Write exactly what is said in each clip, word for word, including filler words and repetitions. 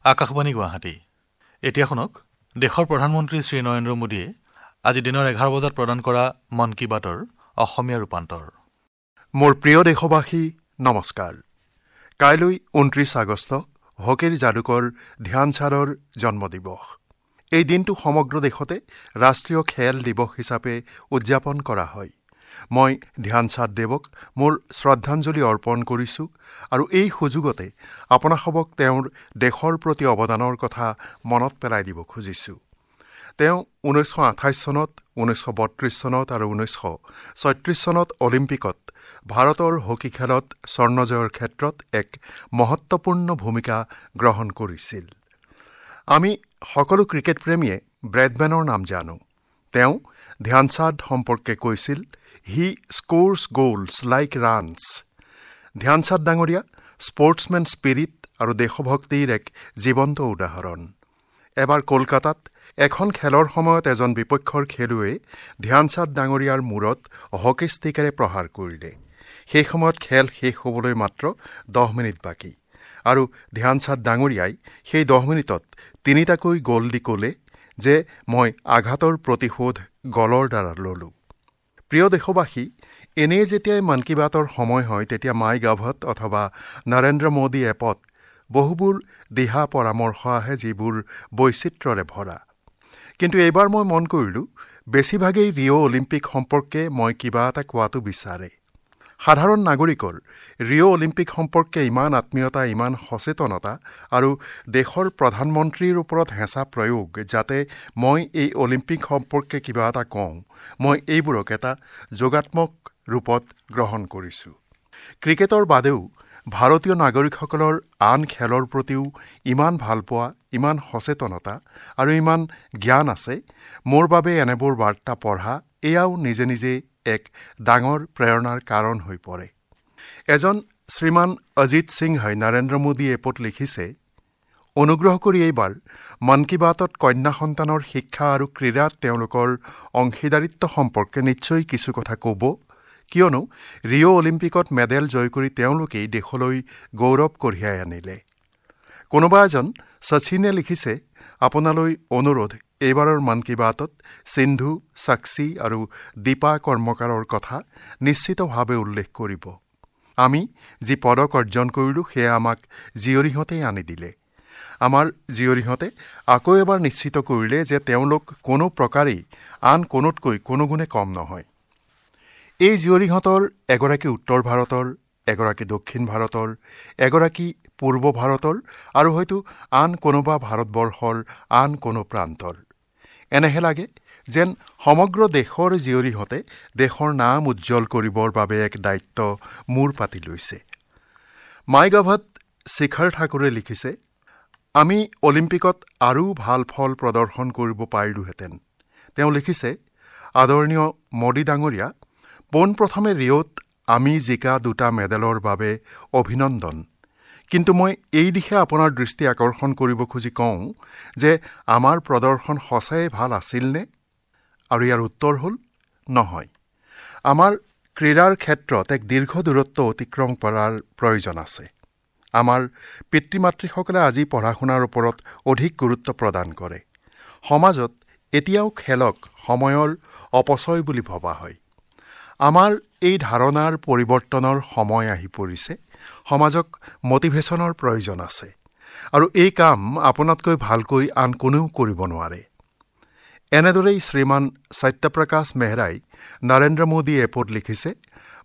আকাশবাণী গুৱাহাটী। এতিয়া শুনক দেশৰ প্ৰধানমন্ত্ৰী শ্ৰী নৰেন্দ্ৰ মোদীয়ে আজি দিনৰ এঘাৰ বজাত প্ৰদান কৰা মন কী বাতৰ অসমীয়া ৰূপান্তৰ। মোৰ প্ৰিয় দেশবাসী, নমস্কাৰ। কাইলৈ ঊনত্ৰিছ আগষ্ট হকীৰ যাদুকৰ ধ্যানচাঁদৰ জন্মদিৱস। এই দিনটো সমগ্ৰ দেশতে ৰাষ্ট্ৰীয় খেল দিৱস হিচাপে উদযাপন কৰা হয়। মই ধ্যানচাঁদ দেৱক মোৰ শ্ৰদ্ধাঞ্জলি অৰ্পণ কৰিছোঁ আৰু এই সুযোগতে আপোনাসবক তেওঁৰ দেশৰ প্ৰতি অৱদানৰ কথা মনত পেলাই দিব খুজিছোঁ। তেওঁ ঊনৈছশ আঠাইছ চনত, ঊনৈছশ বত্ৰিছ চনত আৰু ঊনৈছশ ছয়ত্ৰিছ চনত অলিম্পিকত ভাৰতৰ হকী খেলত স্বৰ্ণজয়ৰ ক্ষেত্ৰত এক মহত্বপূৰ্ণ ভূমিকা গ্ৰহণ কৰিছিল। আমি সকলো ক্ৰিকেট প্ৰেমীয়ে ব্ৰেডমেনৰ নাম জানো। তেওঁ ধ্যানচাঁদ সম্পৰ্কে কৈছিল, he scores goals like runs. Dhyanchand ডাঙৰীয়া স্পৰ্টছমেন স্পিৰিট আৰু দেশভক্তিৰ এক জীৱন্ত উদাহৰণ। এবাৰ কলকাতাত এখন খেলৰ সময়ত এজন বিপক্ষৰ খেলুৱৈয়ে ধ্যানচাঁদ ডাঙৰীয়াৰ মূৰত হকী ষ্টিকেৰে প্ৰহাৰ কৰিলে। সেই সময়ত খেল শেষ হ'বলৈ মাত্ৰ দহ মিনিট বাকী আৰু ধ্যানচাঁদ ডাঙৰীয়াই সেই দহ মিনিটত তিনিটাকৈ গ'ল দি ক'লে যে মই আঘাতৰ প্ৰতিশোধ গ'লৰ দ্বাৰা ল'লোঁ। প্ৰিয় দেশবাসী, এনেই যেতিয়াই মন কী বাতৰ সময় হয় তেতিয়া মাই গভত অথবা নৰেন্দ্ৰ মোদী এপত বহুবোৰ দিহা পৰামৰ্শ আহে যিবোৰ বৈচিত্ৰ্যৰে ভৰা। কিন্তু এইবাৰ মই মন কৰিলোঁ বেছিভাগেই ৰিঅ' অলিম্পিক সম্পৰ্কে মই কিবা এটা কোৱাটো বিচাৰে। সাধাৰণ নাগৰিকৰ ৰিঅ' অলিম্পিক সম্পৰ্কে ইমান আত্মীয়তা, ইমান সচেতনতা আৰু দেশৰ প্ৰধানমন্ত্ৰীৰ ওপৰত হেঁচা প্ৰয়োগ যাতে মই এই অলিম্পিক সম্পৰ্কে কিবা এটা কওঁ, মই এইবোৰক এটা যোগাত্মক ৰূপত গ্ৰহণ কৰিছোঁ। ক্ৰিকেটৰ বাদেও ভাৰতীয় নাগৰিকসকলৰ আন খেলৰ প্ৰতিও ইমান ভালপোৱা, ইমান সচেতনতা আৰু ইমান জ্ঞান আছে। মোৰ বাবে এনেবোৰ বাৰ্তা পঢ়া এয়াও নিজে নিজে এক ডাঙৰ প্ৰেৰণাৰ কাৰণ হৈ পৰে। এজন শ্ৰীমান অজিত সিংহই নৰেন্দ্ৰ মোদী এপত লিখিছে, অনুগ্ৰহ কৰি এইবাৰ মন কী বাতত কন্যা সন্তানৰ শিক্ষা আৰু ক্ৰীড়াত তেওঁলোকৰ অংশীদাৰিত্ব সম্পৰ্কে নিশ্চয় কিছু কথা ক'ব, কিয়নো ৰিঅ' অলিম্পিকত মেডেল জয় কৰি তেওঁলোকেই দেশলৈ গৌৰৱ কঢ়িয়াই আনিলে। কোনোবা এজন শচীনে লিখিছে, আপোনালৈ অনুৰোধ, এইবাৰৰ মন কী বাতত সিন্ধু, সাক্ষী আৰু দীপা কৰ্মকাৰৰ কথা নিশ্চিতভাৱে উল্লেখ কৰিব। আমি যি পদক অৰ্জন কৰিলোঁ সেয়া আমাক জীয়ৰীহঁতেই আনি দিলে। আমাৰ জীয়ৰীহঁতে আকৌ এবাৰ নিশ্চিত কৰিলে যে তেওঁলোক কোনো প্ৰকাৰেই আন কোনোতকৈ কোনো গুণে কম নহয়। এই জীয়ৰীহঁতৰ এগৰাকী উত্তৰ ভাৰতৰ, এগৰাকী দক্ষিণ ভাৰতৰ, এগৰাকী পূৰ্ব ভাৰতৰ আৰু হয়তো আন কোনোবা ভাৰতবৰ্ষৰ আন কোনো প্ৰান্তৰ। এনেহে লাগে যেন সমগ্ৰ দেশৰ জীয়ৰীহঁতে দেশৰ নাম উজ্জ্বল কৰিবৰ বাবে এক দায়িত্ব মূৰ পাতি লৈছে। মাই গভত শিখৰ ঠাকুৰে লিখিছে, আমি অলিম্পিকত আৰু ভাল ফল প্ৰদৰ্শন কৰিব পাৰিলোহেঁতেন। তেওঁ লিখিছে, আদৰণীয় মোদী ডাঙৰীয়া, পোনপ্ৰথমে ৰিঅ'ত আমি জিকা দুটা মেডেলৰ বাবে অভিনন্দন। কিন্তু মই এই দিশে আপোনাৰ দৃষ্টি আকৰ্ষণ কৰিব খুজি কওঁ যে আমাৰ প্ৰদৰ্শন সঁচাই ভাল আছিলনে? আৰু ইয়াৰ উত্তৰ হ'ল নহয়। আমাৰ ক্ৰীড়াৰ ক্ষেত্ৰত এক দীৰ্ঘ দূৰত্ব অতিক্ৰম কৰাৰ প্ৰয়োজন আছে। আমাৰ পিতৃ মাতৃসকলে আজি পঢ়া শুনাৰ ওপৰত অধিক গুৰুত্ব প্ৰদান কৰে। সমাজত এতিয়াও খেলক সময়ৰ অপচয় বুলি ভবা হয়। আমাৰ এই ধাৰণাৰ পৰিৱৰ্তনৰ সময় আহি পৰিছে। সমাজক মটিভেশ্যনৰ প্ৰয়োজন আছে আৰু এই কাম আপোনাতকৈ ভালকৈ আন কোনেও কৰিব নোৱাৰে। এনেদৰেই শ্ৰীমান সত্যপ্ৰকাশ মেহৰাই নৰেন্দ্ৰ মোদী এপত লিখিছে,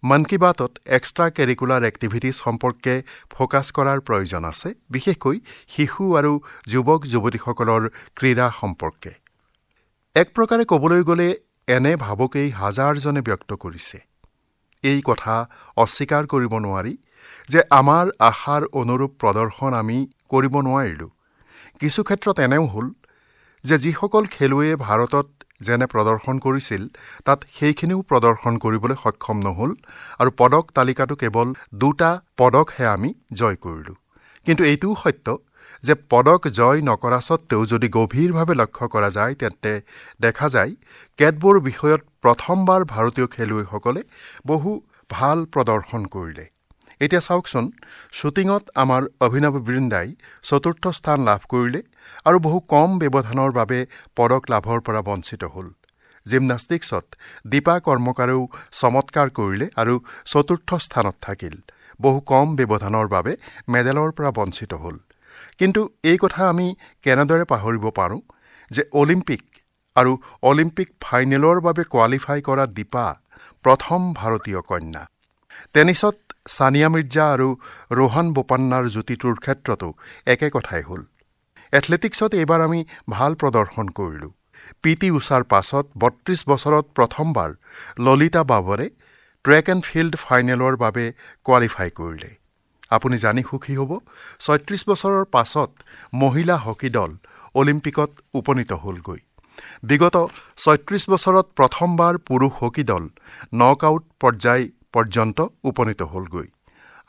মন কী বাতত এক্সট্ৰা কেৰিকুলাৰ এক্টিভিটিজ সম্পৰ্কে ফ'কাছ কৰাৰ প্ৰয়োজন আছে, বিশেষকৈ শিশু আৰু যুৱক যুৱতীসকলৰ ক্ৰীড়া সম্পৰ্কে। এক প্ৰকাৰে ক'বলৈ গ'লে এনে ভাবকেই হাজাৰজনে ব্যক্ত কৰিছে। এই কথা অস্বীকাৰ কৰিব নোৱাৰি যে আমাৰ আশাৰ অনুৰূপ প্ৰদৰ্শন আমি কৰিব নোৱাৰিলোঁ। কিছু ক্ষেত্ৰত এনেও হ'ল যে যিসকল খেলুৱৈয়ে ভাৰতত যেনে প্ৰদৰ্শন কৰিছিল তাত সেইখিনিও প্ৰদৰ্শন কৰিবলৈ সক্ষম নহ'ল আৰু পদক তালিকাটো কেৱল দুটা পদকহে আমি জয় কৰিলোঁ। কিন্তু এইটোও সত্য যে পদক জয় নকৰা সত্ত্বেও যদি গভীৰভাৱে লক্ষ্য কৰা যায় তেন্তে দেখা যায় কেতবোৰ বিষয়ত প্ৰথমবাৰ ভাৰতীয় খেলুৱৈসকলে বহু ভাল প্ৰদৰ্শন কৰিলে। এতিয়া চাওকচোন, শ্বুটিঙত আমাৰ অভিনৱ বৃন্দাই চতুৰ্থ স্থান লাভ কৰিলে আৰু বহু কম ব্যৱধানৰ বাবে পদক লাভৰ পৰা বঞ্চিত হ'ল। জিমনাষ্টিক্সত দীপা কৰ্মকাৰেও চমৎকাৰ কৰিলে আৰু চতুৰ্থ স্থানত থাকিল, বহু কম ব্যৱধানৰ বাবে মেডেলৰ পৰা বঞ্চিত হ'ল। কিন্তু এই কথা আমি কেনেদৰে পাহৰিব পাৰোঁ যে অলিম্পিক আৰু অলিম্পিক ফাইনেলৰ বাবে কোৱালিফাই কৰা দীপা প্ৰথম ভাৰতীয় কন্যা। টেনিছত ছানিয়া মিৰ্জা আৰু ৰোহন বোপান্নাৰ যুটিটোৰ ক্ষেত্ৰতো একে কথাই হ'ল। এথলেটিক্সত এইবাৰ আমি ভাল প্ৰদৰ্শন কৰিলোঁ। পি টি উষাৰ পাছত বত্ৰিছ বছৰত প্ৰথমবাৰ ললিতা বাবৰে ট্ৰেক এণ্ড ফিল্ড ফাইনেলৰ বাবে কোৱালিফাই কৰিলে। আপুনি জানি সুখী হ'ব, ছয়ত্ৰিছ বছৰৰ পাছত মহিলা হকী দল অলিম্পিকত উপনীত হ'লগৈ। বিগত ছয়ত্ৰিছ বছৰত প্ৰথমবাৰ পুৰুষ হকী দল নক আউট পৰ্যায় পৰ্যন্ত উপনীত হ'লগৈ।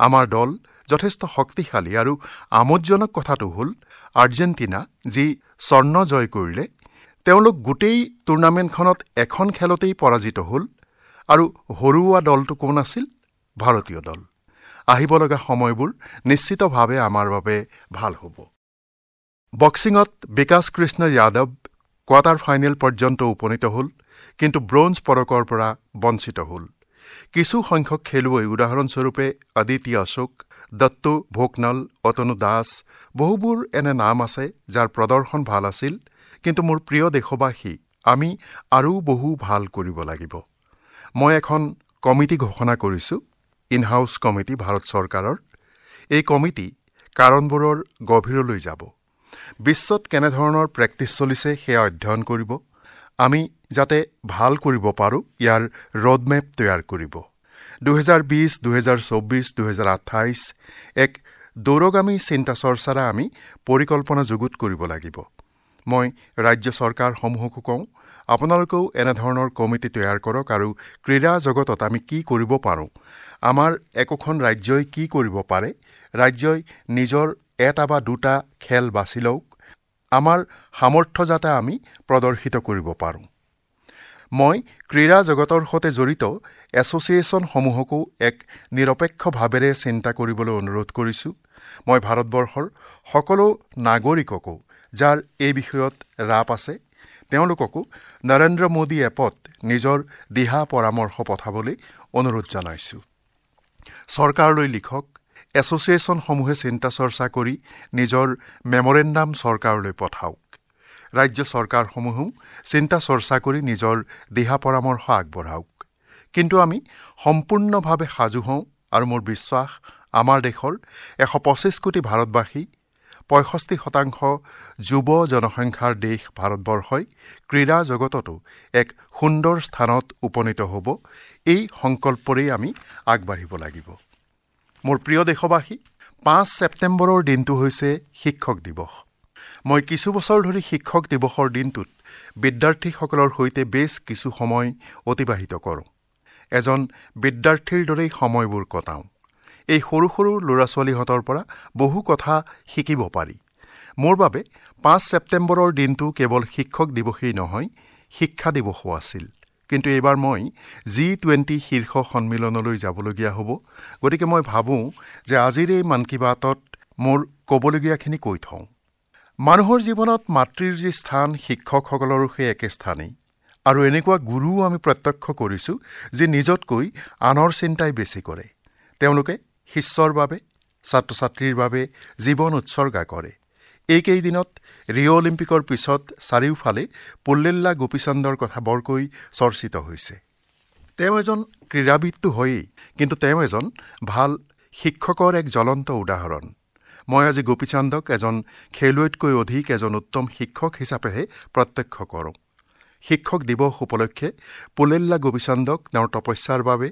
আমাৰ দল যথেষ্ট শক্তিশালী আৰু আমোদজনক কথাটো হ'ল, আৰ্জেণ্টিনা যি স্বৰ্ণ জয় কৰিলে, তেওঁলোক গোটেই টুৰ্ণামেণ্টখনত এখন খেলতেই পৰাজিত হ'ল আৰু হৰুওৱা দলটো কোন আছিল? ভাৰতীয় দল। আহিব লগা সময়বোৰ নিশ্চিতভাৱে আমাৰ বাবে ভাল হ'ব। বক্সিঙত বিকাশ কৃষ্ণ যাদৱ কোৱাৰ্টাৰ ফাইনেল পৰ্যন্ত উপনীত হ'ল, কিন্তু ব্ৰঞ্জ পদকৰ পৰা বঞ্চিত হ'ল। কিছু সংখ্যক খেলুৱৈ, উদাহৰণস্বৰূপে অদিতি অশোক, দত্তু ভোকনল, অতনু দাস, বহুবোৰ এনে নাম আছে যাৰ প্ৰদৰ্শন ভাল আছিল। কিন্তু মোৰ প্ৰিয় দেশবাসী, আমি আৰু বহু ভাল কৰিব লাগিব। মই এখন কমিটি ঘোষণা কৰিছোঁ, ইন হাউচ কমিটি ভাৰত চৰকাৰৰ। এই কমিটি কাৰণবোৰৰ গভীৰলৈ যাব, বিশ্বত কেনেধৰণৰ প্ৰেক্টিছ চলিছে সেয়া অধ্যয়ন কৰিব, আমি যাতে ভাল কৰিব পাৰোঁ ইয়াৰ ৰোডমেপ তৈয়াৰ কৰিব। দুহেজাৰ বিছ, দুহেজাৰ চৌবিছ, দুহেজাৰ আঠাইছ এক দূৰগামী চিন্তা চৰ্চাৰে আমি পৰিকল্পনা যুগুত কৰিব লাগিব। মই ৰাজ্য চৰকাৰসমূহকো কওঁ, আপোনালোকেও এনেধৰণৰ কমিটি তৈয়াৰ কৰক আৰু ক্ৰীড়া জগতত আমি কি কৰিব পাৰোঁ, আমাৰ একোখন ৰাজ্যই কি কৰিব পাৰে, ৰাজ্যই নিজৰ এটা বা দুটা খেল বাছি লওক, আমাৰ সামৰ্থ্য যাতে আমি প্ৰদৰ্শিত কৰিব পাৰোঁ। মই ক্ৰীড়া জগতৰ সৈতে জড়িত এছ'চিয়েশ্যনসমূহকো এক নিৰপেক্ষ ভাৱেৰে চিন্তা কৰিবলৈ অনুৰোধ কৰিছোঁ। মই ভাৰতবৰ্ষৰ সকলো নাগৰিককো যাৰ এই বিষয়ত ৰাপ আছে, তেওঁলোককো নৰেন্দ্ৰ মোদী এপত নিজৰ দিহা পৰামৰ্শ পঠাবলৈ অনুৰোধ জনাইছোঁ। চৰকাৰলৈ লিখক, এছ'চিয়েশ্যনসমূহে চিন্তা চৰ্চা কৰি নিজৰ মেমৰেণ্ডাম চৰকাৰলৈ পঠাওক। ৰাজ্য চৰকাৰসমূহেও চিন্তা চৰ্চা কৰি নিজৰ দিহা পৰামৰ্শ আগবঢ়াওক। কিন্তু আমি সম্পূৰ্ণভাৱে সাজু হওঁ আৰু মোৰ বিশ্বাস আমাৰ দেশৰ এশ পঁচিছ কোটি ভাৰতবাসী, পঁয়ষষ্ঠি শতাংশ যুৱ জনসংখ্যাৰ দেশ ভাৰতবৰ্ষই ক্ৰীড়া জগততো এক সুন্দৰ স্থানত উপনীত হ'ব। এই সংকল্পৰেই আমি আগবাঢ়িব লাগিব। মোৰ প্ৰিয় দেশবাসী, পাঁচ ছেপ্টেম্বৰৰ দিনটো হৈছে শিক্ষক দিৱস। মই কিছু বছৰ ধৰি শিক্ষক দিৱসৰ দিনটোত বিদ্যাৰ্থীসকলৰ সৈতে বেছ কিছু সময় অতিবাহিত কৰোঁ। এজন বিদ্যাৰ্থীৰ দৰেই সময়বোৰ কটাওঁ। এই সৰু সৰু ল'ৰা ছোৱালীহঁতৰ পৰা বহু কথা শিকিব পাৰি। মোৰ বাবে পাঁচ ছেপ্টেম্বৰৰ দিনটো কেৱল শিক্ষক দিৱসেই নহয়, শিক্ষা দিৱসো আছিল। কিন্তু এইবাৰ মই জি টুৱেণ্টি শীৰ্ষ সন্মিলনলৈ যাবলগীয়া হ'ব, গতিকে মই ভাবোঁ যে আজিৰ এই মন কী বাতত মোৰ ক'বলগীয়াখিনি কৈ থওঁ। মানুহৰ জীৱনত মাতৃৰ যি স্থান, শিক্ষকসকলৰো সেই একে স্থানেই। আৰু এনেকুৱা গুৰুও আমি প্ৰত্যক্ষ কৰিছোঁ যি নিজতকৈ আনৰ চিন্তাই বেছি কৰে। তেওঁলোকে শিষ্যৰ বাবে, ছাত্ৰ ছাত্ৰীৰ বাবে জীৱন উৎসৰ্গা কৰে। এইকেইদিনত ৰিঅ' অলিম্পিকৰ পিছত চাৰিওফালে পুল্লেল্লা গোপীচন্দৰ কথা বৰকৈ চৰ্চিত হৈছে। তেওঁ এজন ক্ৰীড়াবিদটো হয়েই, কিন্তু তেওঁ এজন ভাল শিক্ষকৰ এক জ্বলন্ত উদাহৰণ। মই আজি গোপীচান্দক এজন খেলুৱৈতকৈ অধিক এজন উত্তম শিক্ষক হিচাপেহে প্ৰত্যক্ষ কৰোঁ। শিক্ষক দিৱস উপলক্ষে পুলেল্লা গোপীচান্দক তেওঁৰ তপস্যাৰ বাবে,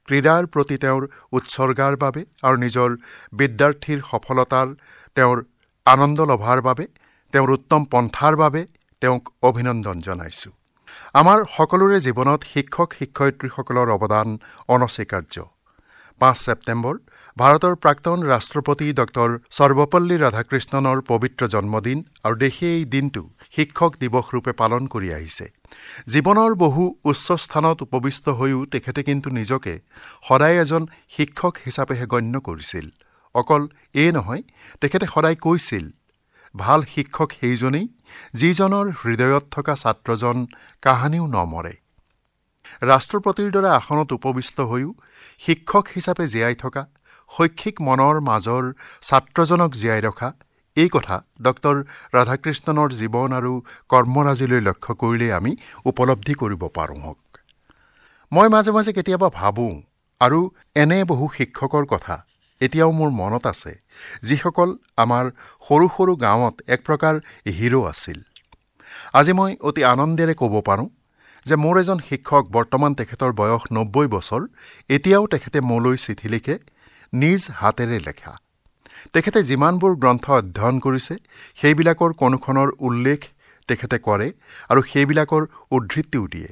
ক্ৰীড়াৰ প্ৰতি তেওঁৰ উৎসৰ্গাৰ বাবে আৰু নিজৰ বিদ্যাৰ্থীৰ সফলতাৰ তেওঁৰ আনন্দ লভাৰ বাবে, তেওঁৰ উত্তম পন্থাৰ বাবে তেওঁক অভিনন্দন জনাইছোঁ। আমাৰ সকলোৰে জীৱনত শিক্ষক শিক্ষয়িত্ৰীসকলৰ অৱদান অনস্বীকাৰ্য। পাঁচ ছেপ্টেম্বৰ ভাৰতৰ প্ৰাক্তন ৰাষ্ট্ৰপতি ডক্টৰ সৰ্বপল্লী ৰাধাকৃষ্ণনৰ পবিত্ৰ জন্মদিন আৰু দেশে এই দিনটো শিক্ষক দিৱস ৰূপে পালন কৰি আহিছে। জীৱনৰ বহু উচ্চ স্থানত উপবিষ্ট হৈও তেখেতে কিন্তু নিজকে সদায় এজন শিক্ষক হিচাপেহে গণ্য কৰিছিল। অকল এই নহয়, তেখেতে সদায় কৈছিল, ভাল শিক্ষক সেইজনেই যিজনৰ হৃদয়ত থকা ছাত্ৰজন কাহানিও নমৰে। ৰাষ্ট্ৰপতিৰ দৰে আসনত উপবিষ্ট হৈও শিক্ষক হিচাপে জীয়াই থকা, শৈক্ষিক মনৰ মাজৰ ছাত্ৰজনক জীয়াই ৰখা, এই কথা ডক্টৰ ৰাধাকৃষ্ণনৰ জীৱন আৰু কৰ্মৰাজিলৈ লক্ষ্য কৰিলেই আমি উপলব্ধি কৰিব পাৰোঁ। হওক, মই মাজে মাজে কেতিয়াবা ভাবোঁ আৰু এনে বহু শিক্ষকৰ কথা এতিয়াও মোৰ মনত আছে, যিসকল আমাৰ সৰু সৰু গাঁৱত এক প্ৰকাৰ হিৰ' আছিল। আজি মই অতি আনন্দেৰে ক'ব পাৰোঁ যে মোৰ এজন শিক্ষক, বৰ্তমান তেখেতৰ বয়স নব্বৈ বছৰ, এতিয়াও তেখেতে মোলৈ চিঠি লিখে, নিজ হাতেৰে লেখা। তেখেতে যিমানবোৰ গ্ৰন্থ অধ্যয়ন কৰিছে সেইবিলাকৰ কোনোখনৰ উল্লেখ তেখেতে কৰে আৰু সেইবিলাকৰ উদ্ধৃতিও দিয়ে।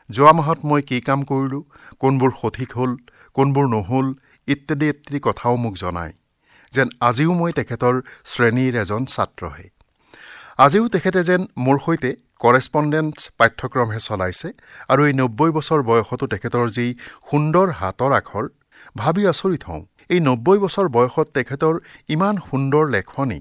যোৱা মাহত মই কি কাম কৰিলোঁ, কোনবোৰ সঠিক হ'ল, কোনবোৰ নহ'ল ইত্যাদি ইত্যাদি কথাও মোক জনায়, যেন আজিও মই তেখেতৰ শ্ৰেণীৰ এজন ছাত্ৰহে। আজিও তেখেতে যেন মোৰ সৈতে কৰেছপণ্ডেন্স পাঠ্যক্ৰমহে চলাইছে। আৰু এই নব্বৈ বছৰ বয়সতো তেখেতৰ যি সুন্দৰ হাতৰ আখৰ, ভাবি আচৰিত হওঁ। এই নব্বৈ বছৰ বয়সত তেখেতৰ ইমান সুন্দৰ লেখনি।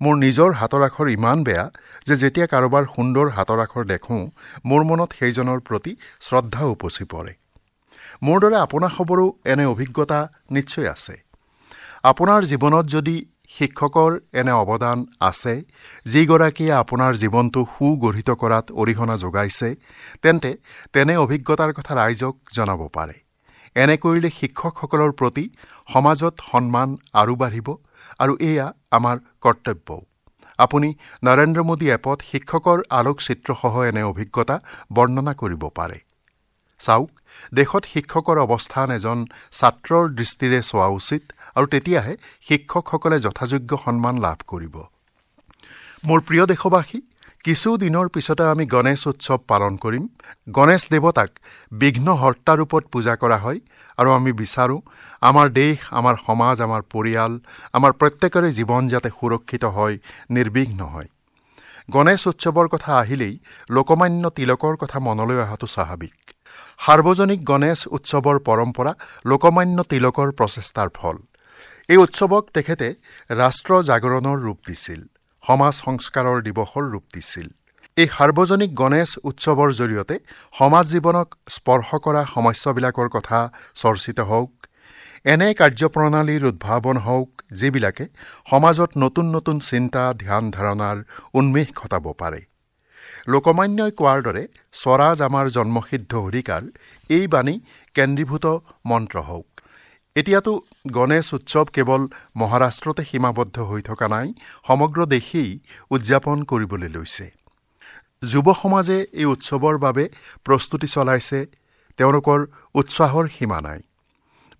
মোৰ নিজৰ হাতৰ আখৰ ইমান বেয়া যে যেতিয়া কাৰোবাৰ সুন্দৰ হাতৰ আখৰ দেখোঁ, মোৰ মনত সেইজনৰ প্ৰতি শ্ৰদ্ধা উপচি পৰে। মোৰ দৰে আপোনাসবৰো এনে অভিজ্ঞতা নিশ্চয় আছে। আপোনাৰ জীৱনত যদি শিক্ষকৰ এনে অৱদান আছে, যিগৰাকীয়ে আপোনাৰ জীৱনটো সুগঠিত কৰাত অৰিহণা যোগাইছে, তেন্তে তেনে অভিজ্ঞতাৰ কথা ৰাইজক জনাব পাৰে। এনে কৰিলে শিক্ষকসকলৰ প্ৰতি সমাজত সন্মান আৰু বাঢ়িব আৰু এয়া আমাৰ কৰ্তব্যও। আপুনি নৰেন্দ্ৰ মোদী এপত শিক্ষকৰ আলোকচিত্ৰসহ এনে অভিজ্ঞতা বৰ্ণনা কৰিব পাৰে। চাওক, দেশত শিক্ষকৰ অৱস্থান এজন ছাত্ৰৰ দৃষ্টিৰে চোৱা উচিত আৰু তেতিয়াহে শিক্ষকসকলে যথাযোগ্য সন্মান লাভ কৰিব। মোৰ প্ৰিয় দেশবাসী, কিছু দিনৰ পিছতে আমি গণেশ উৎসৱ পালন কৰিম। গণেশ দেৱতাক বিঘ্নহৰ্তা ৰূপত পূজা কৰা হয় আৰু আমি বিচাৰোঁ আমাৰ দেশ, আমাৰ সমাজ, আমাৰ পৰিয়াল, আমাৰ প্ৰত্যেকৰে জীৱন যাতে সুৰক্ষিত হয়, নিৰ্বিঘ্ন হয়। গণেশ উৎসৱৰ কথা আহিলেই লোকমান্য তিলকৰ কথা মনলৈ অহাটো স্বাভাৱিক। সাৰ্বজনিক গণেশ উৎসৱৰ পৰম্পৰা লোকমান্য তিলকৰ প্ৰচেষ্টাৰ ফল। এই উৎসৱক তেখেতে ৰাষ্ট্ৰ জাগৰণৰ ৰূপ দিছিল, সমাজ সংস্কাৰৰ দিৱসৰ ৰূপ দিছিল। এই সাৰ্বজনিক গণেশ উৎসৱৰ জৰিয়তে সমাজ জীৱনক স্পৰ্শ কৰা সমস্যাবিলাকৰ কথা চৰ্চিত হওক, এনে কাৰ্যপ্ৰণালীৰ উদ্ভাৱন হওক যিবিলাকে সমাজত নতুন নতুন চিন্তা, ধ্যান ধাৰণাৰ উন্মেষ ঘটাব পাৰে। লোকমান্যই কোৱাৰ দৰে স্বৰাজ আমাৰ জন্মসিদ্ধ অধিকাৰ, এই বাণী কেন্দ্ৰীভূত মন্ত্ৰ হওক। এতিয়াতো গণেশ উৎসৱ কেৱল মহাৰাষ্ট্ৰতে সীমাবদ্ধ হৈ থকা নাই, সমগ্ৰ দেশেই উদযাপন কৰিবলৈ লৈছে। যুৱ সমাজে এই উৎসৱৰ বাবে প্ৰস্তুতি চলাইছে, তেওঁলোকৰ উৎসাহৰ সীমা নাই।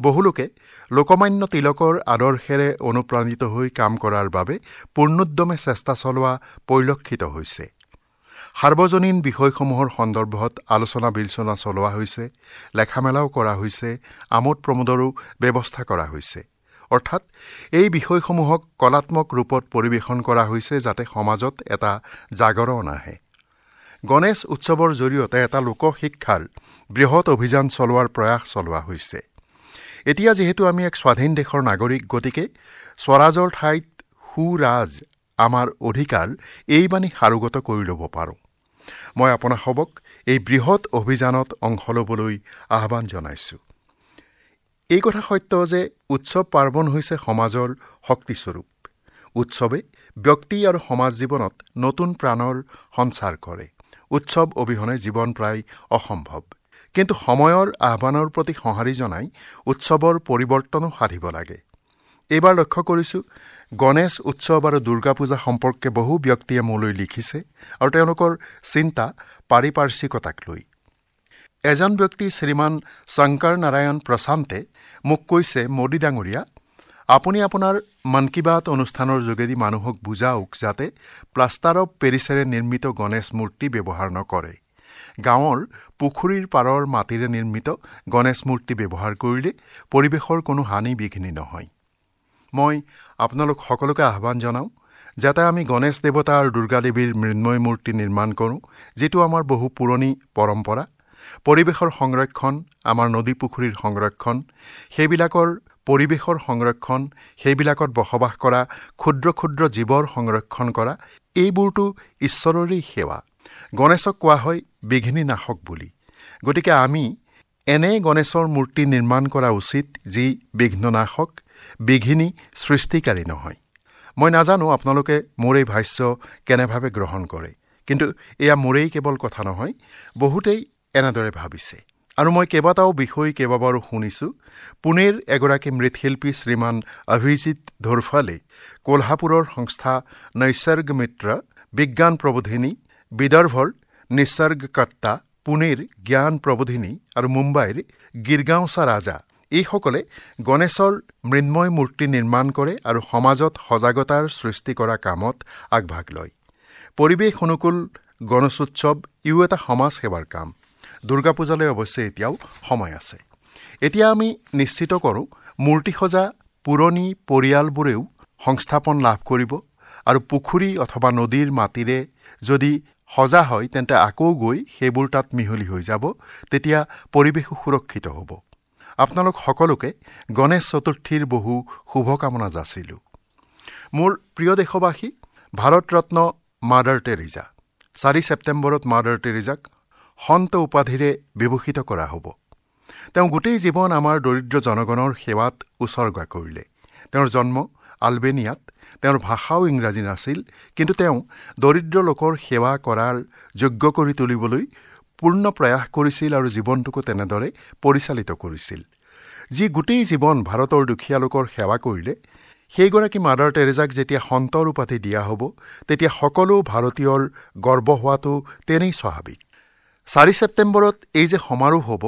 বহুলোকে লোকমান্য তিলকৰ আদৰ্শেৰে অনুপ্ৰাণিত হৈ কাম কৰাৰ বাবে পূৰ্ণোদ্যমে চেষ্টা চলোৱা পৰিলক্ষিত হৈছে। সাৰ্বজনীন বিষয়সমূহৰ সন্দৰ্ভত আলোচনা বিলোচনা চলোৱা হৈছে, লেখামেলাও কৰা হৈছে, আমোদ প্ৰমোদৰো ব্যৱস্থা কৰা হৈছে। অৰ্থাৎ এই বিষয়সমূহক কলাত্মক ৰূপত পৰিৱেশন কৰা হৈছে যাতে সমাজত এটা জাগৰণ আহে। গণেশ উৎসৱৰ জৰিয়তে এটা লোকশিক্ষাৰ বৃহৎ অভিযান চলোৱাৰ প্ৰয়াস চলোৱা হৈছে। এতিয়া যিহেতু আমি এক স্বাধীন দেশৰ নাগৰিক, গতিকে স্বৰাজৰ ঠাইত সুৰাজ আমাৰ অধিকাৰ, এই বাণী সাৰোগত কৰি ল'ব পাৰোঁ। মই আপোনাসবক এই বৃহৎ অভিযানত অংশ ল'বলৈ আহ্বান জনাইছোঁ। এই কথা সত্য যে উৎসৱ পাৰ্বণ হৈছে সমাজৰ শক্তিস্বৰূপ। উৎসৱে ব্যক্তি আৰু সমাজ জীৱনত নতুন প্ৰাণৰ সঞ্চাৰ কৰে। উৎসৱ অবিহনে জীৱন প্ৰায় অসম্ভৱ। কিন্তু সময়ৰ আহ্বানৰ প্ৰতি সঁহাৰি জনাই উৎসৱৰ পৰিৱৰ্তনো সাধিব লাগে। এইবাৰ লক্ষ্য কৰিছোঁ গণেশ উৎসৱ আৰু দুৰ্গা পূজা সম্পৰ্কে বহু ব্যক্তিয়ে মোলৈ লিখিছে আৰু তেওঁলোকৰ চিন্তা পাৰিপাৰ্শ্বিকতাক লৈ। এজন ব্যক্তি শ্ৰীমান শংকৰ নাৰায়ণ প্ৰশান্তে মোক কৈছে, মোদী ডাঙৰীয়া, আপুনি আপোনাৰ মন কী বাত অনুষ্ঠানৰ যোগেদি মানুহক বুজাওক যাতে প্লাষ্টাৰ অৱ পেৰিছেৰে নিৰ্মিত গণেশ মূৰ্তি ব্যৱহাৰ নকৰে। গাঁৱৰ পুখুৰীৰ পাৰৰ মাটিৰে নিৰ্মিত গণেশ মূৰ্তি ব্যৱহাৰ কৰিলে পৰিৱেশৰ কোনো হানি বিঘিনি নহয়। মই আপোনালোক সকলোকে আহ্বান জনাওঁ যাতে আমি গণেশ দেৱতা আৰু দুৰ্গা দেৱীৰ মৃন্ময় মূৰ্তি নিৰ্মাণ কৰোঁ, যিটো আমাৰ বহু পুৰণি পৰম্পৰা। পৰিৱেশৰ সংৰক্ষণ, আমাৰ নদী পুখুৰীৰ সংৰক্ষণ, সেইবিলাকৰ পৰিৱেশৰ সংৰক্ষণ, সেইবিলাকত বসবাস কৰা ক্ষুদ্ৰ ক্ষুদ্ৰ জীৱৰ সংৰক্ষণ কৰা, এইবোৰতো ঈশ্বৰৰেই সেৱা। গণেশক কোৱা হয় বিঘ্নি নাশক বুলি। গতিকে আমি এনে গণেশৰ মূৰ্তি নিৰ্মাণ কৰা উচিত যি বিঘ্ননাশক, বিঘিনি সৃষ্টিকাৰী নহয়। মই নাজানো আপোনালোকে মোৰ এই ভাষ্য কেনেভাৱে গ্ৰহণ কৰে, কিন্তু এয়া মোৰেই কেৱল কথা নহয়, বহুতেই এনেদৰে ভাবিছে। আৰু মই কেইবাটাও বিষয় কেইবাবাৰো শুনিছোঁ। পুনেৰ এগৰাকী মৃৎশিল্পী শ্ৰীমান অভিজিত ধোৰফালে কোলহাপুৰৰ সংস্থা নৈসৰ্গ মিত্ৰ, বিজ্ঞান প্ৰবোধিনী, বিদৰ্ভৰ নিসৰ্গকৰ্তা, পুনেৰ জ্ঞান প্ৰবোধিনী আৰু মুম্বাইৰ গিৰগাঁওচা ৰাজা, এইসকলে গণেশৰ মৃন্ময় মূৰ্তি নিৰ্মাণ কৰে আৰু সমাজত সজাগতাৰ সৃষ্টি কৰা কামত আগভাগ লয়। পৰিৱেশ অনুকূল গণেশোৎসৱ ইও এটা সমাজ সেৱাৰ কাম। দুৰ্গা পূজালৈ অৱশ্যে এতিয়াও সময় আছে। এতিয়া আমি নিশ্চিত কৰোঁ মূৰ্তি সজা পুৰণি পৰিয়ালবোৰেও সংস্থাপন লাভ কৰিব আৰু পুখুৰী অথবা নদীৰ মাটিৰে যদি সজা হয় তেন্তে আকৌ গৈ সেইবোৰ তাত মিহলি হৈ যাব, তেতিয়া পৰিৱেশো সুৰক্ষিত হ'ব। আপোনালোক সকলোকে গণেশ চতুৰ্থীৰ বহু শুভকামনা যাচিলোঁ। মোৰ প্ৰিয় দেশবাসী, ভাৰতৰত্ন মাদাৰ টেৰেজা, চাৰি ছেপ্টেম্বৰত মাদাৰ টেৰেজাক সন্ত উপাধিৰে বিভূষিত কৰা হ'ব। তেওঁ গোটেই জীৱন আমাৰ দৰিদ্ৰ জনগণৰ সেৱাত উছৰ্গা কৰিলে। তেওঁৰ জন্ম আলবেনিয়াত, তেওঁৰ ভাষাও ইংৰাজী নাছিল, কিন্তু তেওঁ দৰিদ্ৰ লোকৰ সেৱা কৰাৰ যোগ্য কৰি তুলিবলৈ পূৰ্ণ প্ৰয়াস কৰিছিল আৰু জীৱনটোকো তেনেদৰে পৰিচালিত কৰিছিল। যি গোটেই জীৱন ভাৰতৰ দুখীয়া লোকৰ সেৱা কৰিলে, সেইগৰাকী মাদাৰ টেৰেজাক যেতিয়া সন্তৰ উপাধি দিয়া হ'ব, তেতিয়া সকলো ভাৰতীয়ৰ গৰ্ব হোৱাটো তেনেই স্বাভাৱিক। চাৰি ছেপ্টেম্বৰত এই যে সমাৰোহ হ'ব,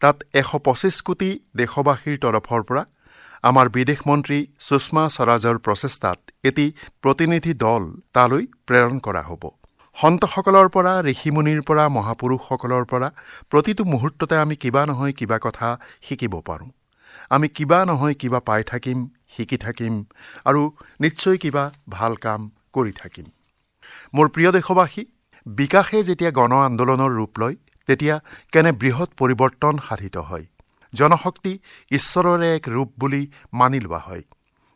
তাত এশ পঁচিছ কোটি দেশবাসীৰ তৰফৰ পৰা আমাৰ বিদেশ মন্ত্ৰী সুষমা স্বৰাজৰ প্ৰচেষ্টাত এটি প্ৰতিনিধি দল তালৈ প্ৰেৰণ কৰা হ'ব। সন্তসকলৰ পৰা, ঋষিমুনিৰ পৰা, মহাপুৰুষসকলৰ পৰা প্ৰতিটো মুহূৰ্ততে আমি কিবা নহয় কিবা কথা শিকিব পাৰোঁ। আমি কিবা নহয় কিবা পাই থাকিম, শিকি থাকিম আৰু নিশ্চয় কিবা ভাল কাম কৰি থাকিম। মোৰ প্ৰিয় দেশবাসী, বিকাশে যেতিয়া গণ আন্দোলনৰ ৰূপ লয়, তেতিয়া কেনে বৃহৎ পৰিৱৰ্তন সাধিত হয়। জনশক্তি ঈশ্বৰৰে এক ৰূপ বুলি মানি লোৱা হয়।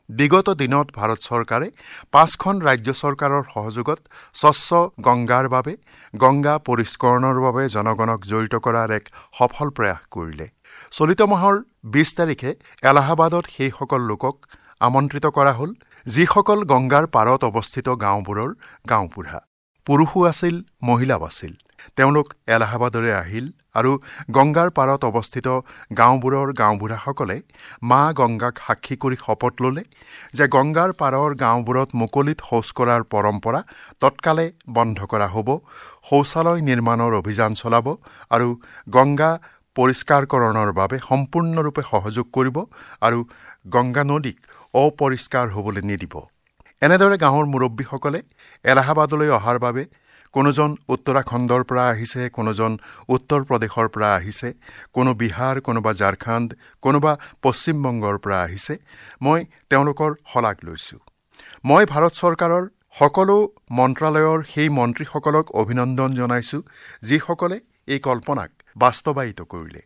বিগত দিনত ভাৰত চৰকাৰে পাঁচখন ৰাজ্য চৰকাৰৰ সহযোগত স্বচ্ছ গংগাৰ বাবে, গংগা পৰিষ্কৰণৰ বাবে জনগণক জড়িত কৰাৰ এক সফল প্ৰয়াস কৰিলে। চলিত মাহৰ বিছ তাৰিখে এলাহাবাদত সেইসকল লোকক আমন্ত্ৰিত কৰা হ'ল যিসকল গংগাৰ পাৰত অৱস্থিত গাঁওবোৰৰ গাঁওবুঢ়া, পুৰুষো আছিল, মহিলাও আছিল। তেওঁলোক এলাহাবাদলৈ আহিল আৰু গংগাৰ পাৰত অৱস্থিত গাঁওবোৰৰ গাঁওবুঢ়াসকলে মা গংগাক সাক্ষী কৰি শপত ল'লে যে গংগাৰ পাৰৰ গাঁওবোৰত মুকলিত শৌচ কৰাৰ পৰম্পৰা তৎকালে বন্ধ কৰা হ'ব, শৌচালয় নিৰ্মাণৰ অভিযান চলাব আৰু গংগা পৰিষ্কাৰকৰণৰ বাবে সম্পূৰ্ণৰূপে সহযোগ কৰিব আৰু গংগা নদীক অপৰিষ্কাৰ হ'বলৈ নিদিব। এনেদৰে গাঁৱৰ মুৰব্বীসকলে এলাহাবাদলৈ অহাৰ বাবে কোনোজন উত্তৰাখণ্ডৰ পৰা আহিছে, কোনোজন উত্তৰ প্ৰদেশৰ পৰা আহিছে, কোনো বিহাৰ, কোনোবা ঝাৰখণ্ড, কোনোবা পশ্চিমবংগৰ পৰা আহিছে। মই তেওঁলোকৰ শলাগ লৈছোঁ। মই ভাৰত চৰকাৰৰ সকলো মন্ত্ৰালয়ৰ সেই মন্ত্ৰীসকলক অভিনন্দন জনাইছোঁ যিসকলে এই কল্পনাক বাস্তৱায়িত কৰিলে।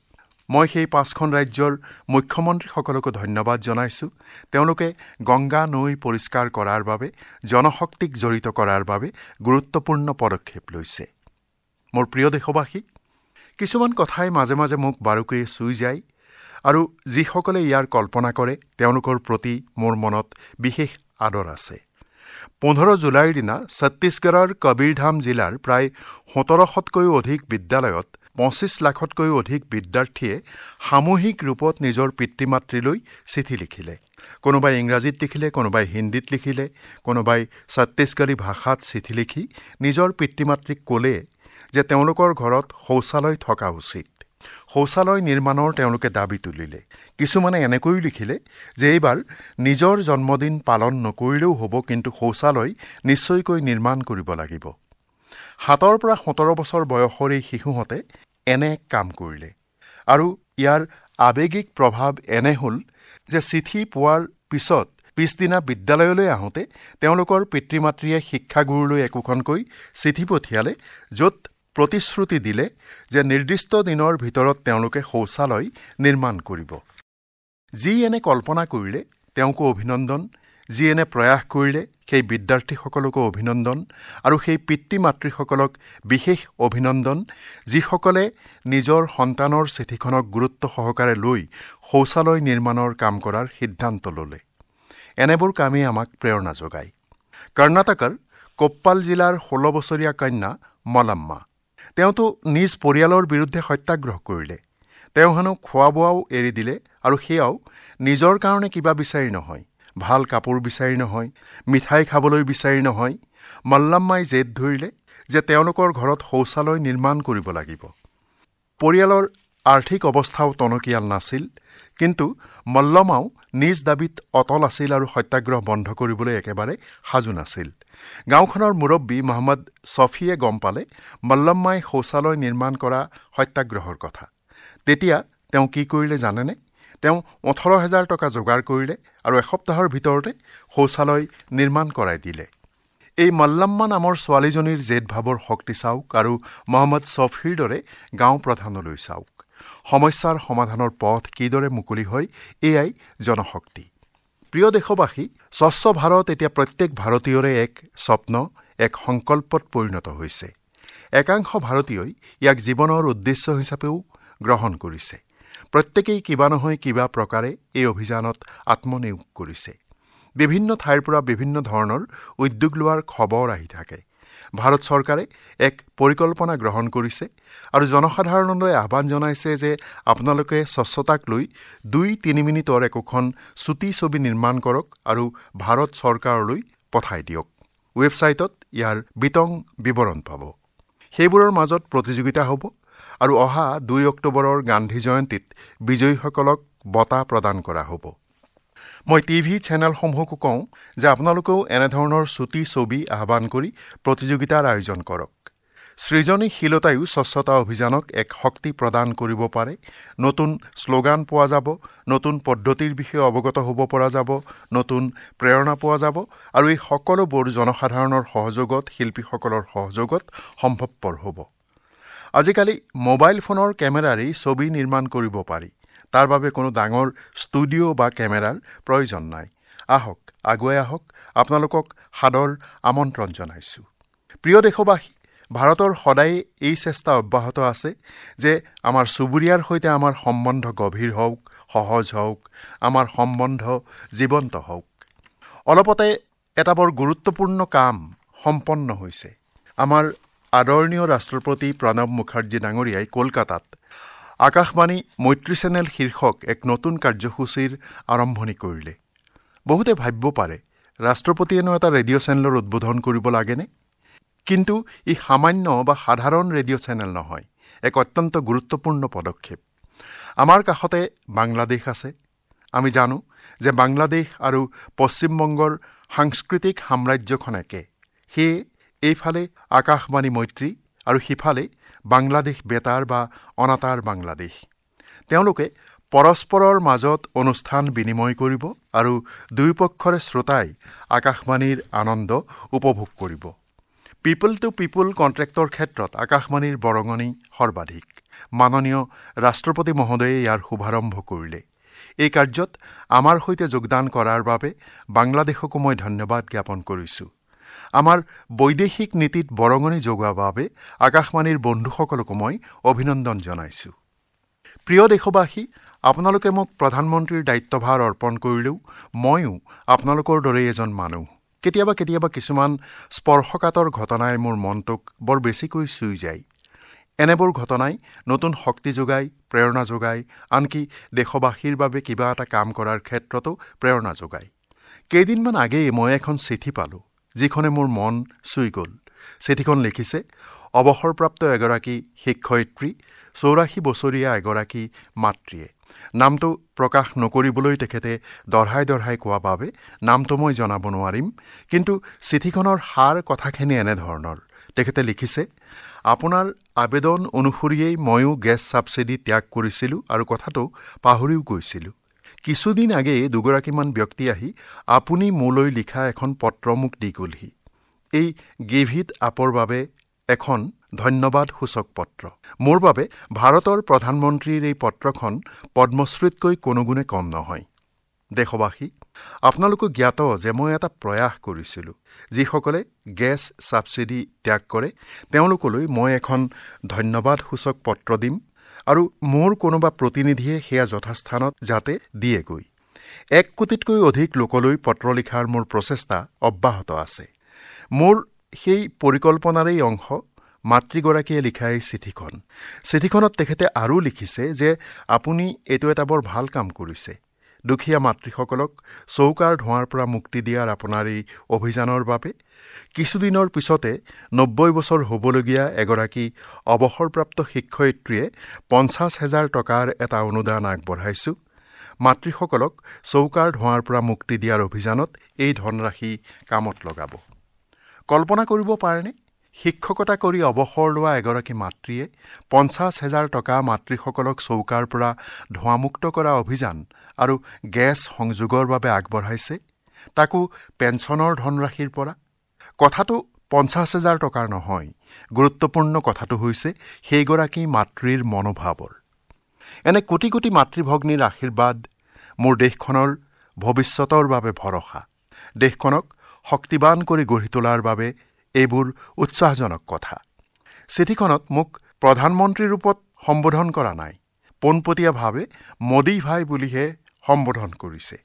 মই সেই পাঁচখন ৰাজ্যৰ মুখ্যমন্ত্ৰীসকলকো ধন্যবাদ জনাইছোঁ। তেওঁলোকে গংগা নৈ পৰিষ্কাৰ কৰাৰ বাবে, জনশক্তিক জড়িত কৰাৰ বাবে গুৰুত্বপূৰ্ণ পদক্ষেপ লৈছে। মোৰ প্ৰিয় দেশবাসী, কিছুমান কথাই মাজে মাজে মোক বাৰুকৈয়ে চুই যায় আৰু যিসকলে ইয়াৰ কল্পনা কৰে তেওঁলোকৰ প্ৰতি মোৰ মনত বিশেষ আদৰ আছে। পোন্ধৰ জুলাইৰ দিনা ছত্তীশগড়ৰ কবীৰধাম জিলাৰ প্ৰায় সোতৰশতকৈও অধিক বিদ্যালয়ত পঁচিছ লাখতকৈও অধিক বিদ্যাৰ্থীয়ে সামূহিক ৰূপত নিজৰ পিতৃ মাতৃলৈ চিঠি লিখিলে। কোনোবাই ইংৰাজীত লিখিলে, কোনোবাই হিন্দীত লিখিলে, কোনোবাই ছত্তীশগড়ী ভাষাত চিঠি লিখি নিজৰ পিতৃ মাতৃক ক'লে যে তেওঁলোকৰ ঘৰত শৌচালয় থকা উচিত। শৌচালয় নিৰ্মাণৰ তেওঁলোকে দাবী তুলিলে। কিছুমানে এনেকৈও লিখিলে যে এইবাৰ নিজৰ জন্মদিন পালন নকৰিলেও হ'ব, কিন্তু শৌচালয় নিশ্চয়কৈ নিৰ্মাণ কৰিব লাগিব। সাতৰ পৰা সোতৰ বছৰ বয়সৰ এই শিশুহঁতে এনে কাম কৰিলে আৰু ইয়াৰ আৱেগিক প্ৰভাৱ এনে হ'ল যে চিঠি পোৱাৰ পিছত পিছদিনা বিদ্যালয়লৈ আহোঁতে তেওঁলোকৰ পিতৃ মাতৃয়ে শিক্ষাগুৰুলৈ একোখনকৈ চিঠি পঠিয়ালে, য'ত প্ৰতিশ্ৰুতি দিলে যে নিৰ্দিষ্ট দিনৰ ভিতৰত তেওঁলোকে শৌচালয় নিৰ্মাণ কৰিব। যি এনে কল্পনা কৰিলে তেওঁকো অভিনন্দন, যি এনে প্ৰয়াস কৰিলে সেই বিদ্যাৰ্থীসকলকো অভিনন্দন, আৰু সেই পিতৃ মাতৃসকলক বিশেষ অভিনন্দন যিসকলে নিজৰ সন্তানৰ চিঠিখনক গুৰুত্ব সহকাৰে লৈ শৌচালয় নিৰ্মাণৰ কাম কৰাৰ সিদ্ধান্ত ল'লে। এনেবোৰ কামেই আমাক প্ৰেৰণা যোগায়। কৰ্ণাটকৰ কোপ্পাল জিলাৰ ষোল্ল বছৰীয়া কন্যা মলাম্মা, তেওঁতো নিজ পৰিয়ালৰ বিৰুদ্ধে সত্যাগ্ৰহ কৰিলে। তেওঁ হেনো খোৱা বোৱাও এৰি দিলে, আৰু সেয়াও নিজৰ কাৰণে কিবা বিচাৰি নহয়, ভাল কাপোৰ বিচাৰি নহয়, মিঠাই খাবলৈ বিচাৰি নহয়। মল্লাম্মাই জেদ ধৰিলে যে তেওঁলোকৰ ঘৰত শৌচালয় নিৰ্মাণ কৰিব লাগিব। পৰিয়ালৰ আৰ্থিক অৱস্থাও টনকিয়াল নাছিল, কিন্তু মল্লমাও নিজ দাবীত অটল আছিল আৰু সত্যাগ্ৰহ বন্ধ কৰিবলৈ একেবাৰে সাজু নাছিল। গাঁওখনৰ মুৰব্বী মহম্মদ ছফিয়ে গম পালে মল্লম্মাই শৌচালয় নিৰ্মাণ কৰা সত্যাগ্ৰহৰ কথা। তেতিয়া তেওঁ কি কৰিলে জানেনে? তেওঁ ওঠৰ হেজাৰ টকা যোগাৰ কৰিলে আৰু এসপ্তাহৰ ভিতৰতে শৌচালয় নিৰ্মাণ কৰাই দিলে। এই মল্লাম্মা নামৰ ছোৱালীজনীৰ জেদ ভাৱৰ শক্তি চাওক আৰু মহম্মদ ছফিৰ দৰে গাঁও প্ৰধানলৈ চাওক। সমস্যাৰ সমাধানৰ পথ কিদৰে মুকলি হয়, এয়াই জনশক্তি। প্ৰিয় দেশবাসী, স্বচ্ছ ভাৰত এতিয়া প্ৰত্যেক ভাৰতীয়ৰে এক স্বপ্ন, এক সংকল্পত পৰিণত হৈছে। একাংশ ভাৰতীয়ই ইয়াক জীৱনৰ উদ্দেশ্য হিচাপেও গ্ৰহণ কৰিছে। প্ৰত্যেকেই কিবা নহয় কিবা প্ৰকাৰে এই অভিযানত আত্মনিয়োগ কৰিছে। বিভিন্ন ঠাইৰ পৰা বিভিন্ন ধৰণৰ উদ্যোগ লোৱাৰ খবৰ আহি থাকে। ভাৰত চৰকাৰে এক পৰিকল্পনা গ্ৰহণ কৰিছে আৰু জনসাধাৰণলৈ আহ্বান জনাইছে যে আপোনালোকে স্বচ্ছতাক লৈ দুই তিনি মিনিটৰ একোখন চুটি ছবি নিৰ্মাণ কৰক আৰু ভাৰত চৰকাৰলৈ পঠাই দিয়ক। ৱেবছাইটত ইয়াৰ বিতং বিৱৰণ পাব। সেইবোৰৰ মাজত প্ৰতিযোগিতা হ'ব আৰু অহা দুই অক্টোবৰৰ গান্ধী জয়ন্তীত বিজয়ীসকলক বঁটা প্ৰদান কৰা হ'ব। মই টিভি চেনেলসমূহকো কওঁ যে আপোনালোকেও এনেধৰণৰ চুটি ছবি আহ্বান কৰি প্ৰতিযোগিতাৰ আয়োজন কৰক। সৃজনীশীলতায়ো স্বচ্ছতা অভিযানক এক শক্তি প্ৰদান কৰিব পাৰে। নতুন শ্লোগান পোৱা যাব, নতুন পদ্ধতিৰ বিষয়ে অৱগত হ'ব পৰা যাব, নতুন প্ৰেৰণা পোৱা যাব আৰু এই সকলোবোৰ জনসাধাৰণৰ সহযোগত, শিল্পীসকলৰ সহযোগত সম্ভৱপৰ হ'ব। আজিকালি মোবাইল ফোনৰ কেমেৰাৰেই ছবি নিৰ্মাণ কৰিব পাৰি। তাৰ বাবে কোনো ডাঙৰ ষ্টুডিঅ' বা কেমেৰাৰ প্ৰয়োজন নাই। আহক, আগুৱাই আহক, আপোনালোকক সাদৰ আমন্ত্ৰণ জনাইছোঁ। প্ৰিয় দেশবাসী, ভাৰতৰ সদায়ে এই চেষ্টা অব্যাহত আছে যে আমাৰ চুবুৰীয়াৰ সৈতে আমাৰ সম্বন্ধ গভীৰ হওক, সহজ হওক, আমাৰ সম্বন্ধ জীৱন্ত হওক। অলপতে এটা বৰ গুৰুত্বপূৰ্ণ কাম সম্পন্ন হৈছে। আমাৰ আদৰণীয় ৰাষ্ট্ৰপতি প্ৰণৱ মুখাৰ্জী ডাঙৰীয়াই কলকাতাত আকাশবাণী মৈত্ৰী চেনেল শীৰ্ষক এক নতুন কাৰ্যসূচীৰ আৰম্ভণি কৰিলে। বহুতে ভাবিব পাৰে, ৰাষ্ট্ৰপতিয়েনো এটা ৰেডিঅ' চেনেলৰ উদ্বোধন কৰিব লাগেনে? কিন্তু ই সামান্য বা সাধাৰণ ৰেডিঅ' চেনেল নহয়, এক অত্যন্ত গুৰুত্বপূৰ্ণ পদক্ষেপ। আমাৰ কাষতে বাংলাদেশ আছে। আমি জানো যে বাংলাদেশ আৰু পশ্চিমবংগৰ সাংস্কৃতিক সাম্ৰাজ্যখন একে। সেয়ে এইফালে আকাশবাণী মৈত্ৰী আৰু সিফালে বাংলাদেশ বেতাৰ বা অনাতাঁৰ বাংলাদেশ। তেওঁলোকে পৰস্পৰৰ মাজত অনুষ্ঠান বিনিময় কৰিব আৰু দুয়োপক্ষৰে শ্ৰোতাই আকাশবাণীৰ আনন্দ উপভোগ কৰিব। পিপল টু পিপল কণ্ট্ৰেক্টৰ ক্ষেত্ৰত আকাশবাণীৰ বৰঙণি সৰ্বাধিক। মাননীয় ৰাষ্ট্ৰপতি মহোদয়ে ইয়াৰ শুভাৰম্ভ কৰিলে। এই কাৰ্যত আমাৰ সৈতে যোগদান কৰাৰ বাবে বাংলাদেশকো মই ধন্যবাদ জ্ঞাপন কৰিছোঁ। আমাৰ বৈদেশিক নীতিত বৰঙণি যোগোৱাৰ বাবে আকাশবাণীৰ বন্ধুসকলকো মই অভিনন্দন জনাইছোঁ। প্ৰিয় দেশবাসী, আপোনালোকে মোক প্ৰধানমন্ত্ৰীৰ দায়িত্বভাৰ অৰ্পণ কৰিলেও ময়ো আপোনালোকৰ দৰেই এজন মানুহ। কেতিয়াবা কেতিয়াবা কিছুমান স্পৰ্শকাতৰ ঘটনাই মোৰ মনটোক বৰ বেছিকৈ চুই যায়। এনেবোৰ ঘটনাই নতুন শক্তি যোগায়, প্ৰেৰণা যোগায়, আনকি দেশবাসীৰ বাবে কিবা এটা কাম কৰাৰ ক্ষেত্ৰতো প্ৰেৰণা যোগায়। কেইদিনমান আগেয়ে মই এখন চিঠি পালোঁ, যিখনে মোৰ মন চুই গ'ল। চিঠিখন লিখিছে অৱসৰপ্ৰাপ্ত এগৰাকী শিক্ষয়িত্ৰী, চৌৰাশী বছৰীয়া এগৰাকী মাতৃয়ে। নামটো প্ৰকাশ নকৰিবলৈ তেখেতে দঢ়াই দঢ়াই কোৱা বাবে নামটো মই জনাব নোৱাৰিম, কিন্তু চিঠিখনৰ সাৰ কথাখিনি এনেধৰণৰ। তেখেতে লিখিছে, আপোনাৰ আবেদন অনুসৰিয়েই ময়ো গেছ ছাবছিডি ত্যাগ কৰিছিলোঁ আৰু কথাটো পাহৰিও গৈছিলোঁ। কিছুদিন আগেয়ে দুগৰাকীমান ব্যক্তি আহি আপুনি মোলৈ লিখা এখন পত্ৰ মোক দি গ'লহি। এই গিভ it আপৰ বাবে এখন ধন্যবাদ সূচক পত্ৰ। মোৰ বাবে ভাৰতৰ প্ৰধানমন্ত্ৰীৰ এই পত্ৰখন পদ্মশ্ৰীতকৈ কোনোগুণে কম নহয়। দেশবাসী, আপোনালোকো জ্ঞাত যে মই এটা প্ৰয়াস কৰিছিলোঁ। যিসকলে গেছ ছাবছিডি ত্যাগ কৰে তেওঁলোকলৈ মই এখন ধন্যবাদ সূচক পত্ৰ দিম আৰু মোৰ কোনোবা প্ৰতিনিধিয়ে সেয়া যথাস্থানত যাতে দিয়েগৈ। এক কোটিতকৈ অধিক লোকলৈ পত্ৰ লিখাৰ মোৰ প্ৰচেষ্টা অব্যাহত আছে। মোৰ সেই পৰিকল্পনাৰেই অংশ মাতৃগৰাকীয়ে লিখা এই চিঠিখন। চিঠিখনত তেখেতে আৰু লিখিছে যে আপুনি এইটো এটা বৰ ভাল কাম কৰিছে। দুখীয়া মাতৃসকলক চৌকাৰ ধোঁৱাৰ পৰা মুক্তি দিয়াৰ আপোনাৰ এই অভিযানৰ বাবে কিছুদিনৰ পিছতে নব্বৈ বছৰ হ'বলগীয়া এগৰাকী অৱসৰপ্ৰাপ্ত শিক্ষয়িত্ৰীয়ে পঞ্চাছ হেজাৰ টকাৰ এটা অনুদান আগবঢ়াইছোঁ। মাতৃসকলক চৌকাৰ ধোঁৱাৰ পৰা মুক্তি দিয়াৰ অভিযানত এই ধনৰাশি কামত লগাব। কল্পনা কৰিব পাৰেনে, শিক্ষকতা কৰি অৱসৰ লোৱা এগৰাকী মাতৃয়ে পঞ্চাছ হেজাৰ টকা মাতৃসকলক চৌকাৰ পৰা ধোঁৱামুক্ত কৰা অভিযান আৰু গেছ সংযোগৰ বাবে আগবঢ়াইছে, তাকো পেঞ্চনৰ ধনৰাশিৰ পৰা। কথাটো পঞ্চাছ হেজাৰ টকাৰ নহয়, গুৰুত্বপূৰ্ণ কথাটো হৈছে সেইগৰাকী মাতৃৰ মনোভাৱৰ। এনে কোটি কোটি মাতৃভগ্নীৰ আশীৰ্বাদ মোৰ দেশখনৰ ভৱিষ্যতৰ বাবে ভৰসা। দেশখনক শক্তিবান কৰি গঢ়ি তোলাৰ বাবে এইবোৰ উৎসাহজনক কথা। চিঠিখনত মোক প্ৰধানমন্ত্ৰীৰ ৰূপত সম্বোধন কৰা নাই, পোনপটীয়াভাৱে মোদী ভাই বুলিহে সম্বোধন কৰিছে।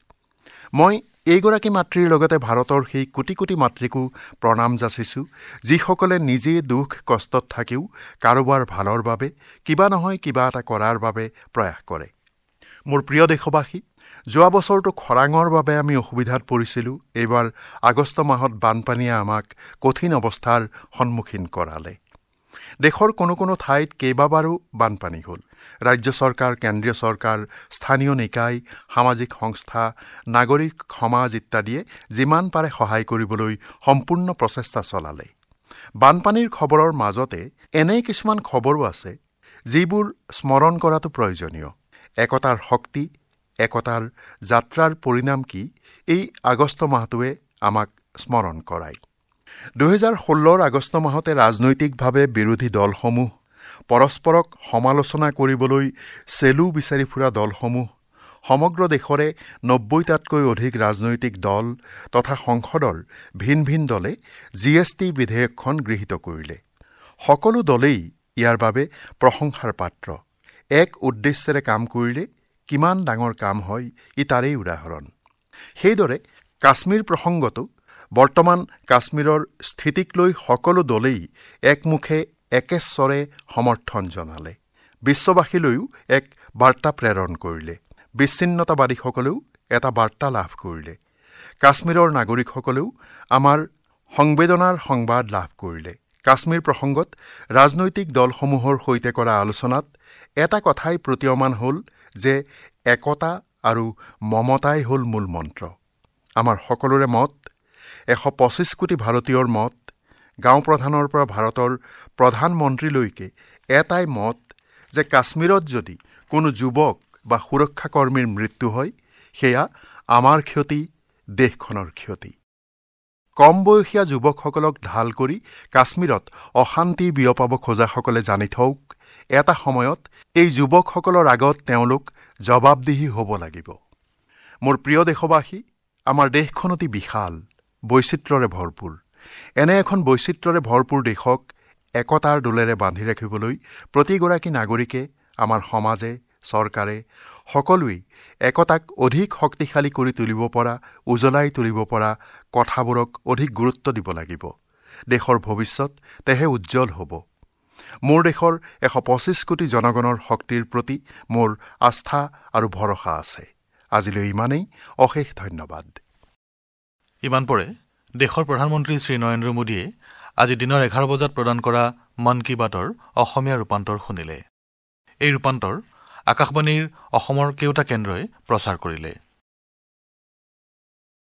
মই এইগৰাকী মাতৃৰ লগতে ভাৰতৰ সেই কোটি কোটি মাতৃকো প্ৰণাম যাচিছোঁ, যিসকলে নিজে দুখ কষ্টত থাকিও কাৰোবাৰ ভালৰ বাবে কিবা নহয় কিবা এটা কৰাৰ বাবে প্ৰয়াস কৰে। মোৰ প্ৰিয় দেশবাসী, যোৱা বছৰটো খৰাঙৰ বাবে আমি অসুবিধাত পৰিছিলোঁ। এইবাৰ আগষ্ট মাহত বানপানীয়ে আমাক কঠিন অৱস্থাৰ সন্মুখীন কৰালে। দেশৰ কোনো কোনো ঠাইত কেইবাবাৰো বানপানী হ'ল। ৰাজ্য চৰকাৰ, কেন্দ্ৰীয় চৰকাৰ, স্থানীয় নিকায়, সামাজিক সংস্থা, নাগৰিক সমাজ ইত্যাদিয়ে যিমান পাৰে সহায় কৰিবলৈ সম্পূৰ্ণ প্ৰচেষ্টা চলালে। বানপানীৰ খবৰৰ মাজতে এনে কিছুমান খবৰো আছে যিবোৰ স্মৰণ কৰাটো প্ৰয়োজনীয়। একতাৰ শক্তি, একতাৰ যাত্ৰাৰ পৰিণাম কি, এই আগষ্ট মাহটোৱে আমাক স্মৰণ কৰায়। দুহেজাৰ ষোল্লৰ আগষ্ট মাহতে ৰাজনৈতিকভাৱে বিৰোধী দলসমূহ, পৰস্পৰক সমালোচনা কৰিবলৈ চেলু বিচাৰি ফুৰা দলসমূহ, সমগ্ৰ দেশৰে নব্বৈটাতকৈ অধিক ৰাজনৈতিক দল তথা সংসদৰ ভিন ভিন দলে জি এছ টি বিধেয়কখন গৃহীত কৰিলে। সকলো দলেই ইয়াৰ বাবে প্ৰশংসাৰ পাত্ৰ। এক উদ্দেশ্যেৰে কাম কৰিলে কিমান ডাঙৰ কাম হয় ই তাৰেই উদাহৰণ। সেইদৰে কাশ্মীৰ প্ৰসংগতো বৰ্তমান কাশ্মীৰৰ স্থিতিক লৈ সকলো দলেই একমুখে একেশ্বৰে সমৰ্থন জনালে। বিশ্ববাসীলৈও এক বাৰ্তা প্ৰেৰণ কৰিলে। বিচ্ছিন্নতাবাদীসকলেও এটা বাৰ্তা লাভ কৰিলে। কাশ্মীৰৰ নাগৰিকসকলেও আমাৰ সংবেদনাৰ সংবাদ লাভ কৰিলে। কাশ্মীৰ প্ৰসংগত ৰাজনৈতিক দলসমূহৰ সৈতে কৰা আলোচনাত এটা কথাই প্ৰতীয়মান হ'ল যে একতা আৰু মমতাই হ'ল মূল মন্ত্ৰ। আমাৰ সকলোৰে মত, এশ পঁচিছ কোটি ভাৰতীয়ৰ মত, গাঁও প্ৰধানৰ পৰা ভাৰতৰ প্ৰধানমন্ত্ৰীলৈকে এটাই মত যে কাশ্মীৰত যদি কোনো যুৱক বা সুৰক্ষাকৰ্মীৰ মৃত্যু হয়, সেয়া আমাৰ ক্ষতি, দেশখনৰ ক্ষতি। কম বয়সীয়া যুৱকসকলক ঢাল কৰি কাশ্মীৰত অশান্তি বিয়পাব খোজাসকলে জানি থওক, এটা সময়ত এই যুৱকসকলৰ আগত তেওঁলোক জবাবদিহি হ'ব লাগিব। মোৰ প্ৰিয় দেশবাসী, আমাৰ দেশখন অতি বিশাল, বৈচিত্ৰ্যৰে ভৰপূৰ। এনে এখন বৈচিত্ৰ্যৰে ভৰপূৰ দেশক একতাৰ দোলেৰে বান্ধি ৰাখিবলৈ প্ৰতিগৰাকী নাগৰিকে, আমাৰ সমাজে, চৰকাৰে সকলোৱেই একতাক অধিক শক্তিশালী কৰি তুলিব পৰা, উজ্বলাই তুলিব পৰা কথাবোৰক অধিক গুৰুত্ব দিব লাগিব। দেশৰ ভৱিষ্যত তেহে উজ্জ্বল হ'ব। মোৰ দেশৰ এশ পঁচিছ কোটি জনগণৰ শক্তিৰ প্ৰতি মোৰ আস্থা আৰু ভৰসা আছে। আজিলৈ ইমানেই, অশেষ ধন্যবাদ। ইমান পৰে দেশৰ প্ৰধানমন্ত্ৰী শ্ৰী নৰেন্দ্ৰ মোদীয়ে আজি দিনৰ এঘাৰ বজাত প্ৰদান কৰা মন কী বাতৰ অসমীয়া ৰূপান্তৰ শুনিলে। এই ৰূপান্তৰ আকাশবাণীৰ অসমৰ কেইটা কেন্দ্ৰই প্ৰচাৰ কৰিলে।